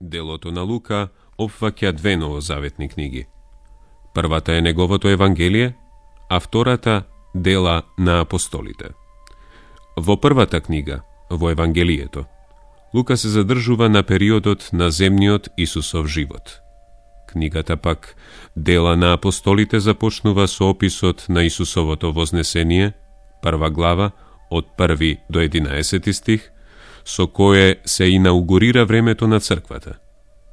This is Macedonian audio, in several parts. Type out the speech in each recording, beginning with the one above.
Делото на Лука опфаќа две новозаветни книги. Првата е неговото Евангелие, а втората Дела на апостолите. Во првата книга, во Евангелието, Лука се задржува на периодот на земниот Исусов живот. Книгата пак Дела на апостолите започнува со описот на Исусовото вознесение, прва глава, од 1 до 11 стих, со кое се инаугурира времето на црквата.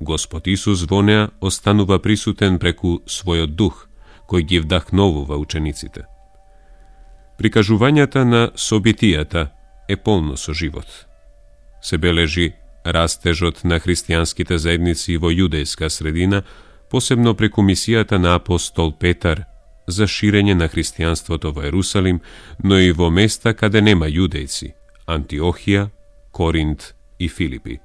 Господ Исус во неа останува присутен преку својот дух, кој ги вдахновува учениците. Прикажувањата на собитијата е полно со живот. Се бележи растежот на христијанските заедници во јудејска средина, посебно преку мисијата на апостол Петар за ширење на христијанството во Ерусалим, но и во места каде нема јудејци – Антиохија, Коринт и Филипи.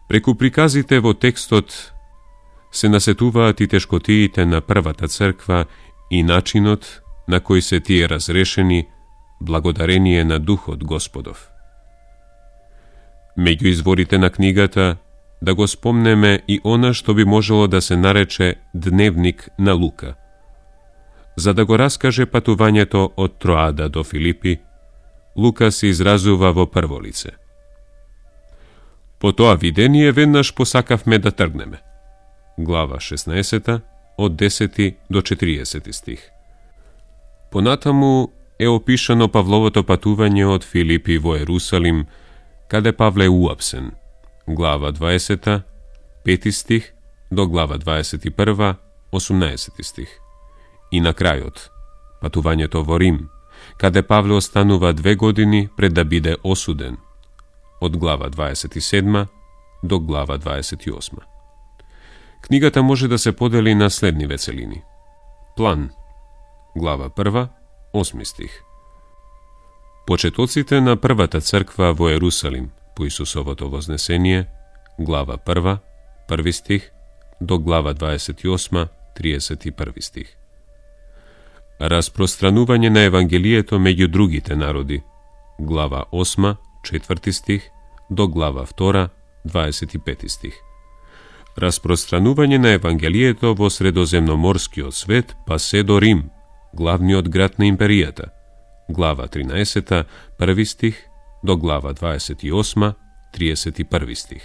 Преку приказите во текстот се насетуваат и тешкотиите на првата црква и начинот на кој се тие разрешени благодарение на Духот Господов. Меѓу изворите на книгата да го спомнеме и она што би можело да се нарече Дневник на Лука. За да го раскаже патувањето од Троада до Филипи, Лука се изразува во прво лице. По тоа видение веднаш посакавме да тргнеме. Глава 16, од 10 до 40 стих. Понатаму е опишано Павловото патување од Филипи во Ерусалим, каде Павле уапсен. Глава 20, 5 стих до глава 21, 18 стих. И на крајот, патувањето во Рим, каде Павле останува 2 години пред да биде осуден, од глава 27 до глава 28. Книгата може да се подели на следниве целини. План, глава 1, 8 стих. Почетоците на првата црква во Ерусалим по Исусовото вознесение, глава 1, 1 стих до глава 28, 31 стих. Распространување на Евангелието меѓу другите народи, глава 8, 4 стих до глава 2, 25 стих. Распространување на Евангелието во средоземноморскиот свет, па се до Рим, главниот град на империјата, глава 13, 1 стих до глава 28, 31 стих.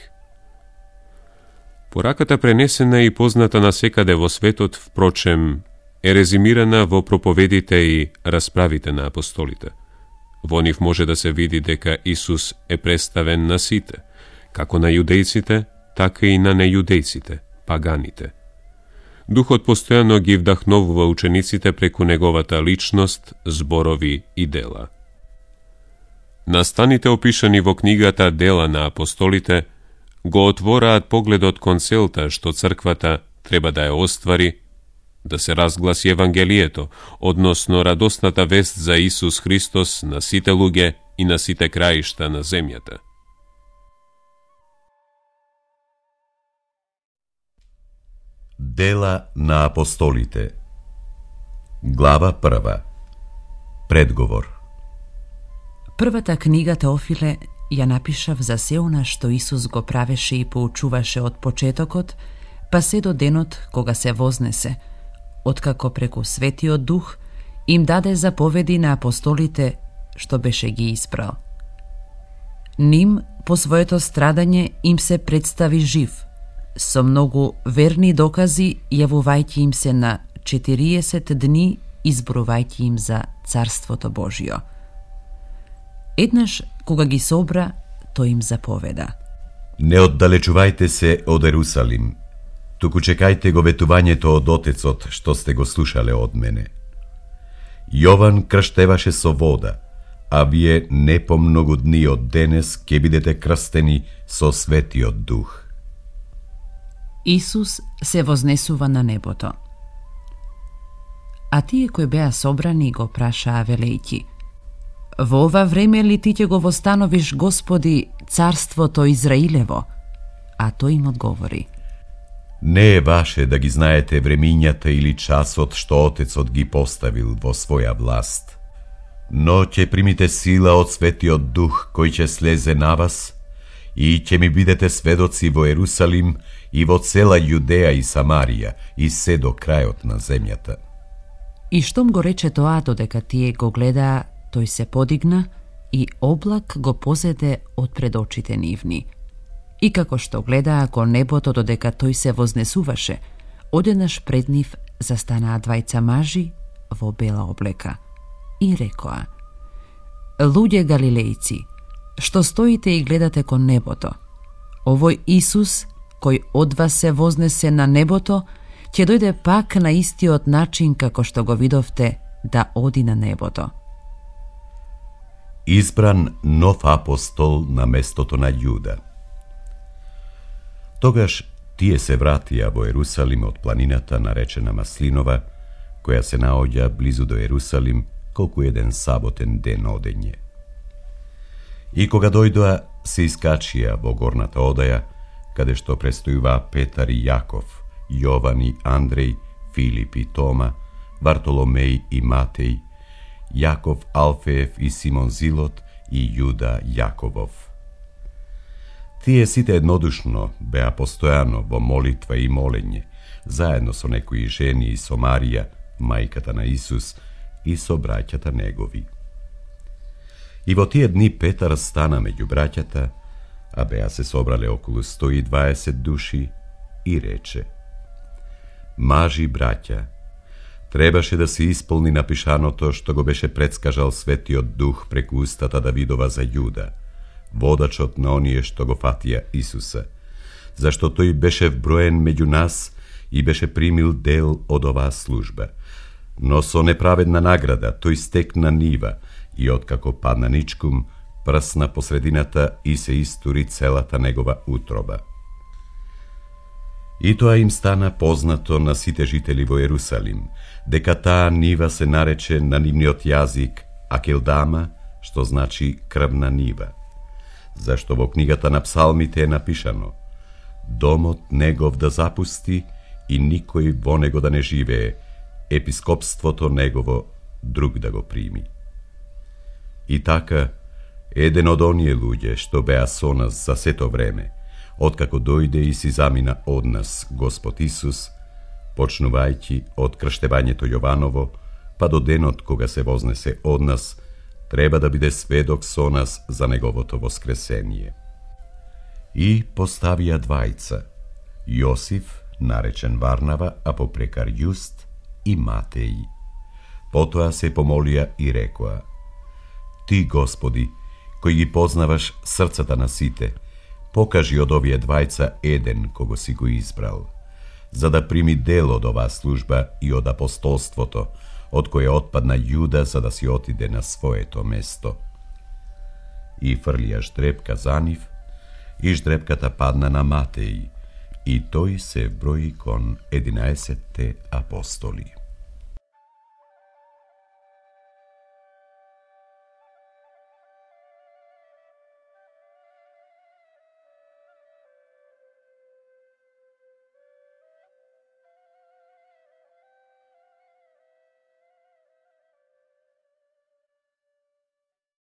Пораката пренесена и позната насекаде во светот, впрочем, е резимирана во проповедите и расправите на апостолите. Во нив може да се види дека Исус е представен на сите, како на јудејците, така и на нејудејците, паганите. Духот постојано ги вдахновува учениците преку неговата личност, зборови и дела. Настаните опишани во книгата Дела на апостолите го отвораат погледот кон целта што црквата треба да ја оствари, да се разгласи Евангелието, односно радосната вест за Исус Христос на сите луѓе и на сите краишта на земјата. Дела на апостолите. Глава 1. Предговор. Првата книга Теофиле ја напишав за се она што Исус го правеше и поучуваше од почетокот, па се до денот кога се вознесе, откако преку Светиот Дух им даде заповеди на апостолите што беше ги испрал. Ним по своето страдање им се представи жив, со многу верни докази јавувајќи им се на 40 дни, изборувајќи им за Царството Божјо. Еднаш, кога ги собра, тој им заповеда: Не оддалечувајте се од Ерусалим, туку чекајте го ветувањето од Отецот што сте го слушале од мене. Јован крштеваше со вода, а вие не по многу дни од денес ќе бидете крстени со Светиот Дух. Исус се вознесува на небото. А тие кои беа собрани го прашаа велејќи: Во ова време ли ти ќе го востановиш, Господи, царството Израилево? А тој им одговори: Не е ваше да ги знаете времињата или часот што Отецот ги поставил во своја власт, но ќе примите сила од Светиот Дух кој ќе слезе на вас и ќе ми бидете сведоци во Ерусалим и во цела Јудеја и Самарија и се до крајот на земјата. И штом го рече тоа, додека тие го гледаа, тој се подигна и облак го позеде од пред очите нивни. И како што гледаа кон небото додека тој се вознесуваше, одеднаш пред нив застанаа двајца мажи во бела облека и рекоа: Луѓе галилејци, што стоите и гледате кон небото, овој Исус, кој од вас се вознесе на небото, ќе дојде пак на истиот начин како што го видовте да оди на небото. Избран нов апостол на местото на Јуда. Тогаш тие се вратија во Ерусалим од планината наречена Маслинова, која се наоѓа близу до Ерусалим, колку еден саботен ден одење. И кога дојдоа, се искачија во горната одаја, каде што престојуваа Петар и Јаков, Јован и Андреј, Филип и Тома, Вартоломеј и Матеј, Јаков Алфеев и Симон Зилот и Јуда Јаковов. Тие сите еднодушно беа постојано во молитва и молење, заедно со некои жени и со Марија, мајката на Исус, и со браќата негови. И во тие дни Петар стана меѓу браќата, а беа се собрале околу 120 души, и рече: Мажи браќа, требаше да се исполни напишаното што го беше предскажал Светиот Дух преку устата Давидова за Јуда, водачот на оние што го фатија Исуса, зашто тој беше вброен меѓу нас и беше примил дел од оваа служба. Но со неправедна награда тој стекна нива и откако падна ничкум, прсна по средината и се истури целата негова утроба. И тоа им стана познато на сите жители во Ерусалим, дека таа нива се нарече на нивниот јазик Акелдама, што значи крвна нива. Зашто во книгата на псалмите е напишано: Домот негов да запусти и никој во него да не живее, епископството негово друг да го прими. И така, еден од оние луѓе што беа со нас за сето време, откако дојде и си замина од нас Господ Исус, почнувајќи од крштевањето Јованово, па до денот кога се вознесе од нас, треба да биде сведок со нас за неговото воскресение. И поставија двајца: Јосиф, наречен Варнава, а попрекар Јуст, и Матеј. Потоа се помолија и рекоа: Ти, Господи, кој ги познаваш срцата на сите, покажи од овие двајца еден кого си го избрал, за да прими дел од оваа служба и од апостолството, од кое отпадна Јуда за да си отиде на своето место. И фрлија ждрепка за нив, и ждрепката падна на Матеј, и тој се брои кон 11 апостоли.